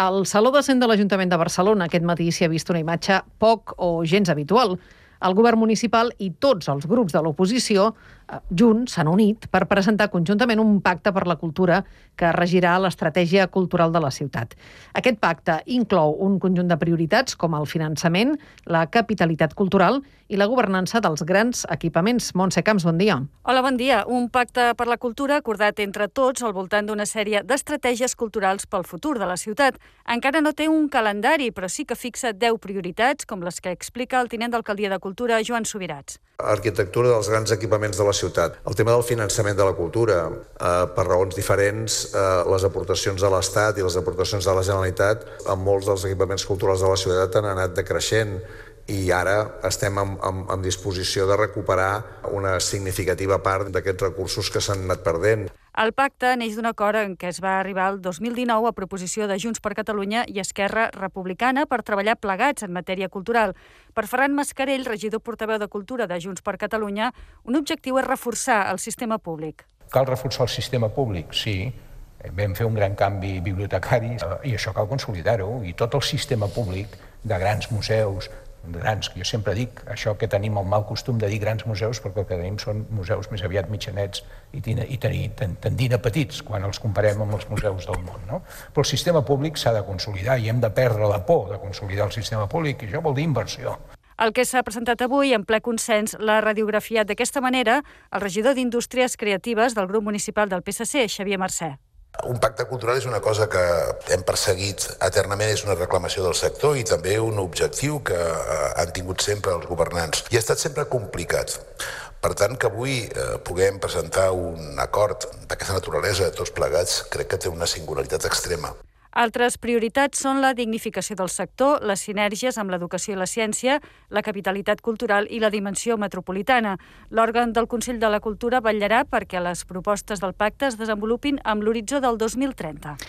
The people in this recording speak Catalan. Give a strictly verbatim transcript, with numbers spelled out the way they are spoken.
Al Saló de Cent de l'Ajuntament de Barcelona aquest matí s'hi ha vist una imatge poc o gens habitual. El govern municipal i tots els grups de l'oposició junts s'han unit per presentar conjuntament un pacte per la cultura que regirà l'estratègia cultural de la ciutat. Aquest pacte inclou un conjunt de prioritats com el finançament, la capitalitat cultural i la governança dels grans equipaments. Montse Camps, bon dia. Hola, bon dia. Un pacte per la cultura acordat entre tots al voltant d'una sèrie d'estratègies culturals pel futur de la ciutat. Encara no té un calendari, però sí que fixa deu prioritats, com les que explica el tinent d'alcaldia de Cultura, Joan Subirats. Arquitectura dels grans equipaments de la ciutat. El tema del finançament de la cultura, eh, per raons diferents, eh, les aportacions de l'Estat i les aportacions de la Generalitat en molts dels equipaments culturals de la ciutat han anat decreixent i ara estem en, en, en disposició de recuperar una significativa part d'aquests recursos que s'han anat perdent. El pacte neix d'un acord en què es va arribar el dos mil dinou a proposició de Junts per Catalunya i Esquerra Republicana per treballar plegats en matèria cultural. Per Ferran Mascarell, regidor portaveu de Cultura de Junts per Catalunya, un objectiu és reforçar el sistema públic. Cal reforçar el sistema públic, sí. Vam fer un gran canvi bibliotecari i això cal consolidar-ho. I tot el sistema públic de grans museus, grans, jo sempre dic això que tenim el mal costum de dir grans museus perquè el que tenim són museus més aviat mitjanets i, i tenir, tendint a petits quan els comparem amb els museus del món, no? Però el sistema públic s'ha de consolidar i hem de perdre la por de consolidar el sistema públic i això vol dir inversió. El que s'ha presentat avui, en ple consens, l'ha radiografiat d'aquesta manera el regidor d'Indústries Creatives del grup municipal del P S C, Xavier Mercè. Un pacte cultural és una cosa que hem perseguit eternament, és una reclamació del sector i també un objectiu que han tingut sempre els governants. I ha estat sempre complicat. Per tant, que avui eh, puguem presentar un acord d'aquesta naturalesa de tots plegats, crec que té una singularitat extrema. Altres prioritats són la dignificació del sector, les sinergies amb l'educació i la ciència, la capitalitat cultural i la dimensió metropolitana. L'òrgan del Consell de la Cultura vetllarà perquè les propostes del pacte es desenvolupin amb l'horitzó del dos mil trenta.